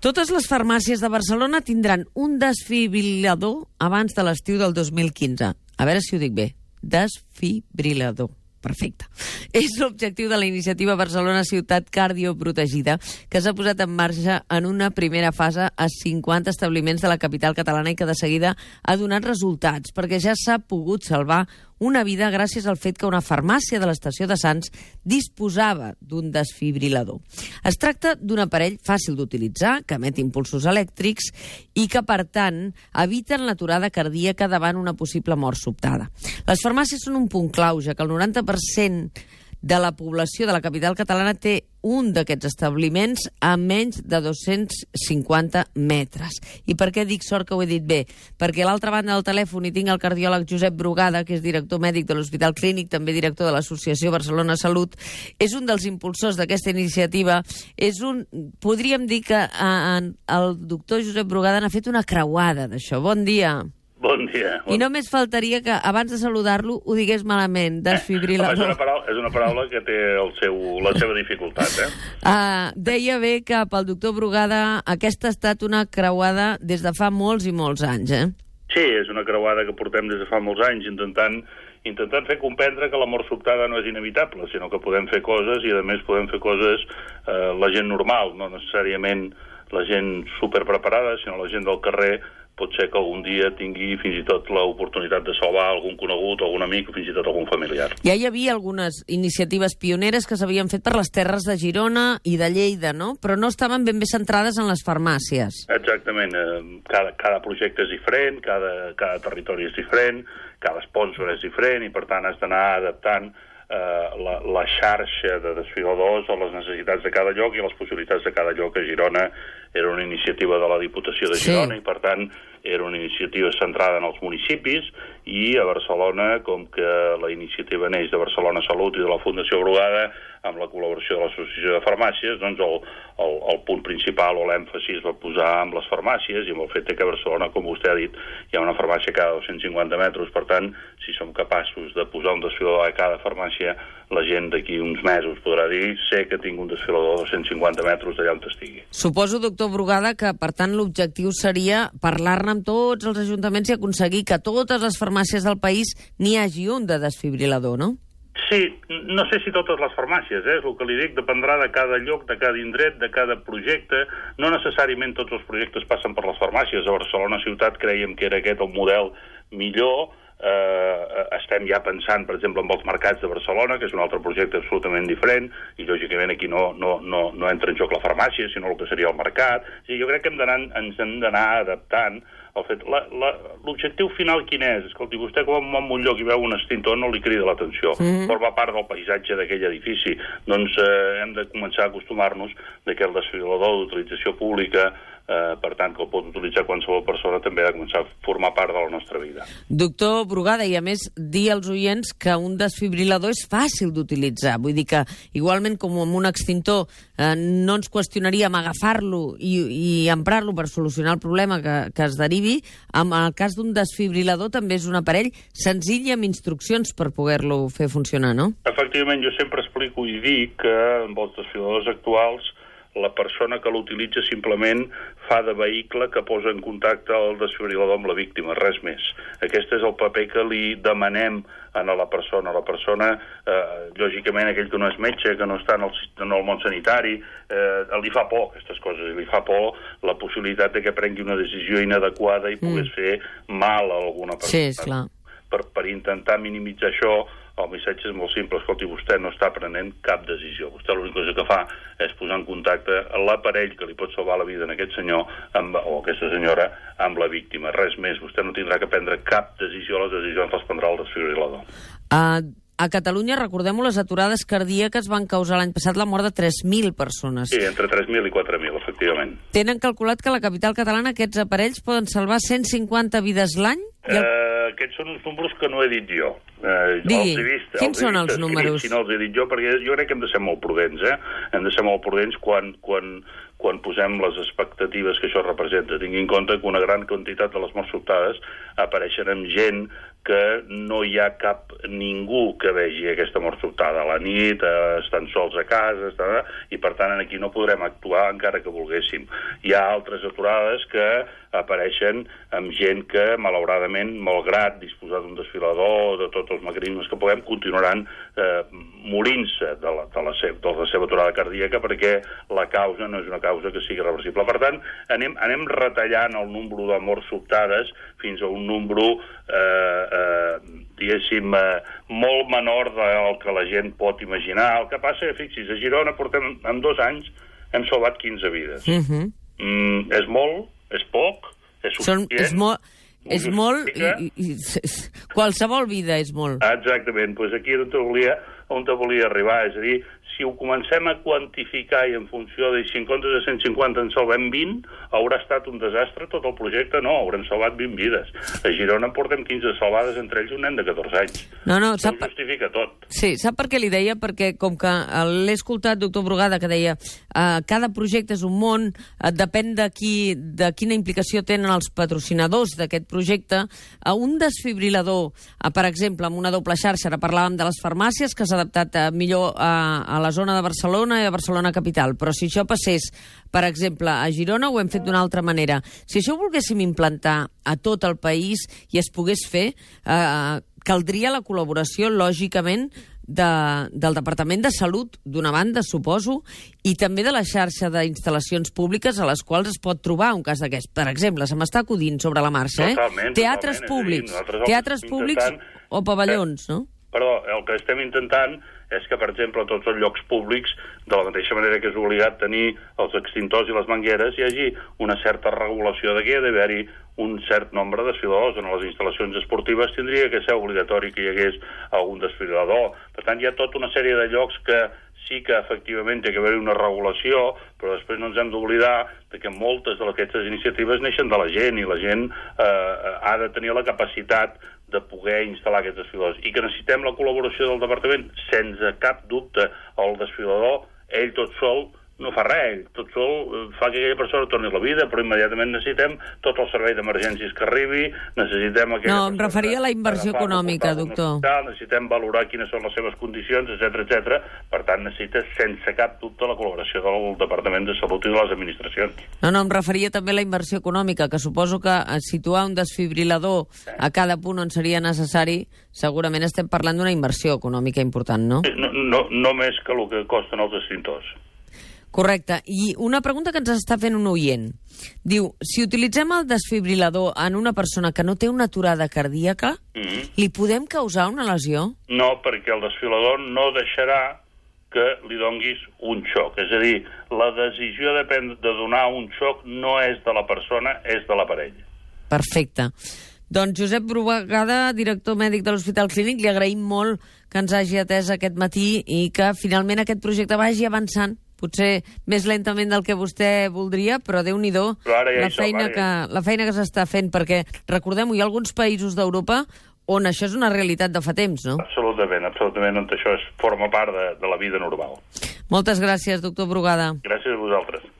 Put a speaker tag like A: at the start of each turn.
A: Totes les farmàcies de Barcelona tindran un desfibrilador abans de l'estiu del 2015. A veure si ho dic bé. Desfibrilador. Perfecte. És l'objectiu de la iniciativa Barcelona Ciutat Cardioprotegida, que s'ha posat en marxa en una primera fase a 50 establiments de la capital catalana i que de seguida ha donat resultats, perquè ja s'ha pogut salvar una vida gràcies al fet que una farmàcia de l'estació de Sants disposava d'un desfibrilador. Es tracta d'un aparell fàcil d'utilitzar, que emet impulsos elèctrics i que, per tant, eviten l'aturada cardíaca davant una possible mort sobtada. Les farmàcies són un punt clau, ja que el 90% de la població de la capital catalana té un d'aquests establiments a menys de 250 metres. I per què dic sort que ho he dit bé? Perquè a l'altra banda del telèfon hi tinc el cardiòleg Josep Brugada, que és director mèdic de l'Hospital Clínic, també director de l'Associació Barcelona Salut. És un dels impulsors d'aquesta iniciativa. Podríem dir que el doctor Josep Brugada n'ha fet una creuada d'això. Bon dia.
B: Bon dia.
A: I només faltaria que, abans de saludar-lo, ho digués malament, desfibrilador.
B: És una paraula que té la seva dificultat,
A: Deia bé que pel doctor Brugada aquesta ha estat una creuada des de fa molts i molts anys,
B: Sí, és una creuada que portem des de fa molts anys intentant fer comprendre que la mort sobtada no és inevitable, sinó que podem fer coses i, a més, podem fer coses la gent normal, no necessàriament la gent superpreparada, sinó la gent del carrer. Pot ser que algun dia tingui fins i tot l'oportunitat de salvar algun conegut, algun amic o fins i tot algun familiar.
A: Ja hi havia algunes iniciatives pioneres que s'havien fet per les terres de Girona i de Lleida, no? Però no estaven ben bé centrades en les farmàcies.
B: Exactament. Cada projecte és diferent, cada territori és diferent, cada sponsor és diferent i, per tant, has d'anar adaptant la xarxa de desfibriladors a les necessitats de cada lloc i les possibilitats de cada lloc. A Girona era una iniciativa de la Diputació de Girona, sí. I per tant era una iniciativa centrada en els municipis, i a Barcelona, com que la iniciativa neix de Barcelona Salut i de la Fundació Brugada, amb la col·laboració de l'Associació de Farmàcies, doncs el punt principal o l'èmfasi es va posar amb les farmàcies i amb el fet que a Barcelona, com vostè ha dit, hi ha una farmàcia cada 250 metres. Per tant, si som capaços de posar un desfibrilador a cada farmàcia, la gent d'aquí uns mesos podrà dir sé que tinc un desfibrilador a 250 metres d'allà on estigui.
A: Suposo, doctor Brugada, que per tant l'objectiu seria parlar-ne amb tots els ajuntaments i aconseguir que totes les farmàcies del país n'hi hagi un de desfibrilador, no?
B: Sí, no sé si totes les farmàcies, és el que li dic, dependrà de cada lloc, de cada indret, de cada projecte. No necessàriament tots els projectes passen per les farmàcies. A Barcelona Ciutat creiem que era aquest el model millor. Estem ja pensant, per exemple, en els mercats de Barcelona, que és un altre projecte absolutament diferent, i lògicament aquí no entra en joc la farmàcia, sinó el que seria el mercat. Sí, jo crec que ens hem d'anar adaptant al fet. L'objectiu final quin és? Escolti, vostè quan va a un lloc i veu un extintor no li crida l'atenció, forma part del paisatge d'aquell edifici. Doncs hem de començar a acostumar-nos que el desfibrilador d'utilització pública, per tant, que el pot utilitzar qualsevol persona, també ha de començar a formar part de la nostra vida.
A: Doctor Brugada, i a més dir als oients que un desfibrilador és fàcil d'utilitzar. Vull dir que, igualment com amb un extintor, no ens qüestionaríem agafar-lo i emprar-lo per solucionar el problema que es derivi. En el cas d'un desfibrilador també és un aparell senzill i amb instruccions per poder-lo fer funcionar, no?
B: Efectivament, jo sempre explico i dic que amb els desfibriladors actuals la persona que l'utilitza simplement fa de vehicle que posa en contacte el desfibrilador amb la víctima, res més. Aquest és el paper que li demanem a la persona. La persona, lògicament, aquell que no és metge, que no està en el món sanitari, li fa por aquestes coses, li fa por la possibilitat de que prengui una decisió inadequada i pogués fer mal a alguna persona.
A: Sí, esclar.
B: Per intentar minimitzar això, el missatge és molt simple. Escolti, vostè no està prenent cap decisió. Vostè l'única cosa que fa és posar en contacte l'aparell que li pot salvar la vida a aquest senyor o aquesta senyora amb la víctima. Res més. Vostè no tindrà que prendre cap decisió. Les decisions les prendrà el desfibrilador.
A: A Catalunya, recordem-ho, les aturades cardíaques van causar l'any passat la mort de 3.000 persones.
B: Sí, entre 3.000 i 4.000, efectivament.
A: Tenen calculat que a la capital catalana aquests aparells poden salvar 150 vides l'any?
B: Aquests són uns números que no he dit jo.
A: Digui, quins són els números?
B: Si no els he dit jo, perquè jo crec que hem de ser molt prudents, Hem de ser molt prudents quan quan posem les expectatives que això representa. Tingui en compte que una gran quantitat de les morts sobtades apareixen amb gent que no hi ha ningú que vegi aquesta mort sobtada a la nit, estan sols a casa, i per tant aquí no podrem actuar encara que volguéssim. Hi ha altres aturades que apareixen amb gent que, malauradament, malgrat disposar d'un desfilador, de tots els mecanismes que puguem, continuaran morint-se de la seva aturada cardíaca perquè la causa no és una causa que sigui reversible. Per tant, anem retallant el nombre de morts sobtades fins a un nombre diguéssim, molt menor del que la gent pot imaginar. El que passa que, fixi's, a Girona portem, en 2 anys, hem salvat 15 vides. És molt? És poc? És suficient?
A: És molt, i qualsevol vida és molt.
B: Exactament, doncs aquí on volia arribar, és a dir, si ho comencem a quantificar i en funció de si en comptes de 150 en salvem 20, haurà estat un desastre tot el projecte? No, haurem salvat 20 vides. A Girona en portem 15 salvades, entre ells un nen de 14 anys.
A: No,
B: això ho justifica tot.
A: Sí, sap per què li deia? Perquè com que l'he escoltat, doctor Brugada, que deia cada projecte és un món, depèn de quina implicació tenen els patrocinadors d'aquest projecte. Un desfibrilador, per exemple, amb una doble xarxa, ara parlàvem de les farmàcies, que s'ha adaptat millor a la zona de Barcelona i a Barcelona capital, però si això passés, per exemple, a Girona, ho hem fet d'una altra manera. Si això ho volguéssim implantar a tot el país i es pogués fer, caldria la col·laboració, lògicament, del Departament de Salut, d'una banda, suposo, i també de la xarxa d'instal·lacions públiques a les quals es pot trobar un cas d'aquest. Per exemple, se m'està acudint sobre la marxa, teatres públics o pavellons, no?
B: Perdó, el que estem intentant és que, per exemple, a tots els llocs públics, de la mateixa manera que és obligat tenir els extintors i les mangueres, hi hagi una certa regulació de que hi ha d'haver-hi un cert nombre de desfiladors. En les instal·lacions esportives tindria que ser obligatori que hi hagués algun desfilador. Per tant, hi ha tota una sèrie de llocs que sí que efectivament té que haver-hi una regulació, però després no ens hem d'oblidar que moltes d'aquestes iniciatives neixen de la gent, i la gent ha de tenir la capacitat de poder instal·lar aquests desfiladors, i que necessitem la col·laboració del departament, sense cap dubte. El desfilador, ell tot sol, no fa res, ell tot sol fa que aquella persona torni a la vida, però immediatament necessitem tot el servei d'emergències que arribi, necessitem aquella
A: persona... No, em referia a la inversió econòmica, doctor.
B: Necessitem valorar quines són les seves condicions, etc. Per tant, necessita, sense cap dubte, la col·laboració del Departament de Salut i de les administracions.
A: No, em referia també a la inversió econòmica, que suposo que situar un desfibrilador a cada punt on seria necessari, segurament estem parlant d'una inversió econòmica important, no?
B: No més que el que costen els extintors.
A: Correcte. I una pregunta que ens està fent un oient. Diu, si utilitzem el desfibrilador en una persona que no té una aturada cardíaca, li podem causar una lesió?
B: No, perquè el desfibrilador no deixarà que li donguis un xoc. És a dir, la decisió de donar un xoc no és de la persona, és de l'aparell.
A: Perfecte. Doncs Josep Brugada, director mèdic de l'Hospital Clínic, li agraïm molt que ens hagi atès aquest matí i que finalment aquest projecte vagi avançant, potser més lentament del que vostè voldria, però Déu-n'hi-do la feina que s'està fent, perquè, recordem-ho, hi ha alguns països d'Europa on això és una realitat de fa temps, no?
B: Absolutament, on això forma part de la vida normal.
A: Moltes gràcies, doctor Brugada.
B: Gràcies a vosaltres.